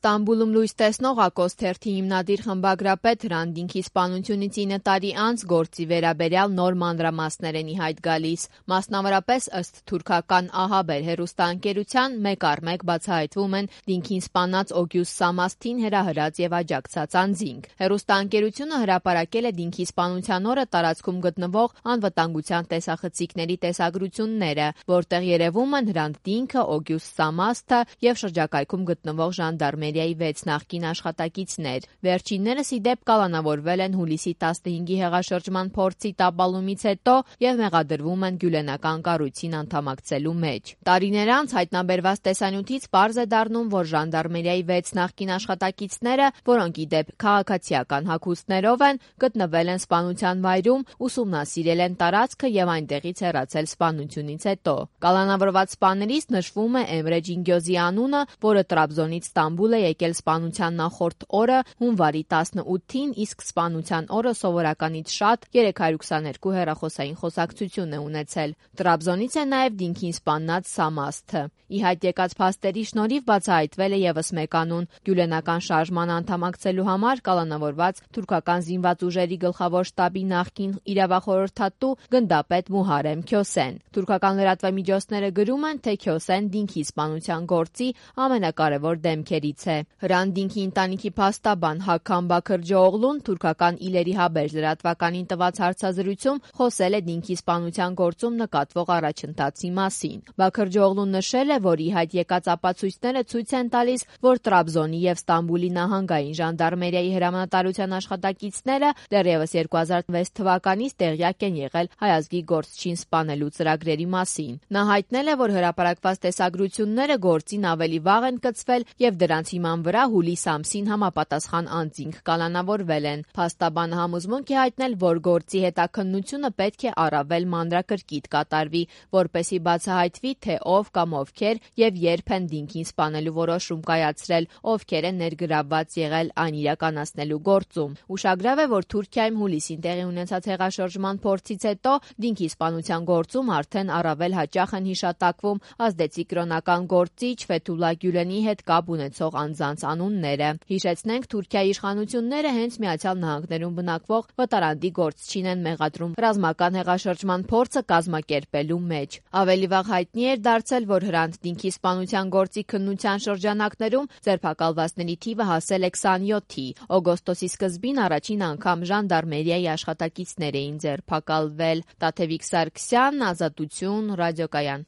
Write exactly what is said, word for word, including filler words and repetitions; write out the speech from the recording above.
Ստամբուլում լույս տեսնող Ակոս թերթի հիմնադիր խմբագրապետ Հրանտ Դինքի սպանությունից ինը տարի անց գործի վերաբերյալ նոր մանրամասներ են ի հայտ գալիս։ Մասնավորապես ըստ թուրքական ահաբեր հեռուստաընկերության մեկ առ մեկ բացահայտվում են Դինքին սպանած Օգյուս Սամասթին հրահրած եւ աջակցած անձինք։ Հեռուստաընկերությունը հրապարակել է Դինքի սպանության օրը տարածքում գտնվող անվտանգության տեսախցիկների տեսագրությունները, որտեղ երևում են Հրանտ Դինքը, Օգյուս Սամասթը եւ շրջակայքում գտնվող ժանդարմերիայի վեց նախկին աշխատակիցներ։ Վերջիններս ի դեպ կալանավորվել են հուլիսի տասնհինգի հեղաշրջման փորձի տապալումից հետո եւ մեղադրվում են գյուլենական կառույցին անդամակցելու մեջ։ Տարիներ անց հայտնաբերված տեսանյութից պարզ է դառնում, որ ժանդարմերիայի վեց նախկին աշխատակիցները, որոնք ի դեպ քաղաքացիական հագուստներով են, գտնվել են սպանության վայրում, ուսումնասիրել են տարածքը եւ այնտեղից հեռացել սպանությունից հետո։ Կալանավորված սպաներից նշվում է Էմրե Ջինգյոզի անունը, որը Տրաբզոնից Ստամբուլ է եկել սպանության նախորդ օրը հունվարի տասնութին, իսկ սպանության օրը սովորականից շատ երեք հարյուր քսաներկու հեռախոսային խոսակցություն է ունեցել։ Տրաբզոնից է նաև Դինքին սպանած Սամասթը։ Ի հայտ եկած փաստերի շնորհիվ բացահայտվել է եւս մեկ անուն՝ գյուլենական շարժման անդամակցելու համար կալանավորված թուրքական զինված ուժերի գլխավոր շտաբի նախկին իրավախորհրդատու գնդապետ Մուհարեմ Քյոսեն։ Թուրքական լրատվամիջոցները գրում են, թե Քյոսեն Դինքի սպանության գործի ամենակարևոր դեմքերից է։ Հրանտ Դինքի ընտանիքի փաստաբան Հաքամ Բաքրջոօղլուն թուրքական Իլերի Հաբեր լրատվականին տված հարցազրույցում խոսել է Դինքի սպանության գործում նկատվող առաջընթացի մասին։ Բաքրջոօղլուն նշել է, որ ի հայտ եկած ապացույցները ցույց են տալիս, որ Տրաբզոնի եւ Ստամբուլի նահանգային ժանդարմերիայի հրամանատարության աշխատակիցները դեռևս երկու հազար վեց թվականից տեղյակ են եղել հայազգի գործչին սպանելու ծրագրերի մասին։ Նա հայտնել է, որ հրապարակված տեսագրությունները գործին ավելի վաղ են կցվել եւ դրանց հիման վրա հուլիս ամսին համապատասխան անձինք կալանավորվել են։ Փաստաբանը համոզմունք է հայտնել, որ գործի հետաքննությունը պետք է առավել մանրակրկիտ կատարվի, որպեսզի բացահայտվի, թե ով կամ ովքեր եւ երբ են Դինքին սպանելու որոշում կայացրել, ովքեր են ներգրավված եղել այն իրականացնելու գործում։ Ուշագրավ է, որ Թուրքիայում հուլիսին տեղի ունեցած հեղաշրջման փորձից հետո Դինքի սպանության գործում արդեն առավել հաճախ են հիշատակվում ազդեցիկ կրոնական գործիչ Ֆեթուլա Գյուլենի հետ կապ ունեցող անձանց անունները։ Հիշեցնենք, Թուրքիայի իշխանությունները հենց Միացյալ Նահանգներում բնակվող վտարանդի գործչին են մեղադրում ռազմական հեղաշրջման փորձը կազմակերպելու մեջ։ Ավելի վաղ հայտնի էր դարձել, որ Հրանտ Դինքի սպանության գործի քննության շրջանակներում ձերբակալվածների թիվը հասել է քսանյոթի։ Օգոստոսի սկզբին առաջին անգամ ժանդարմերիայի աշխատակիցներ էին ձերբակալվել։ Տաթևիկ Սարգսյան, Ազատություն, Ռադիոկայան։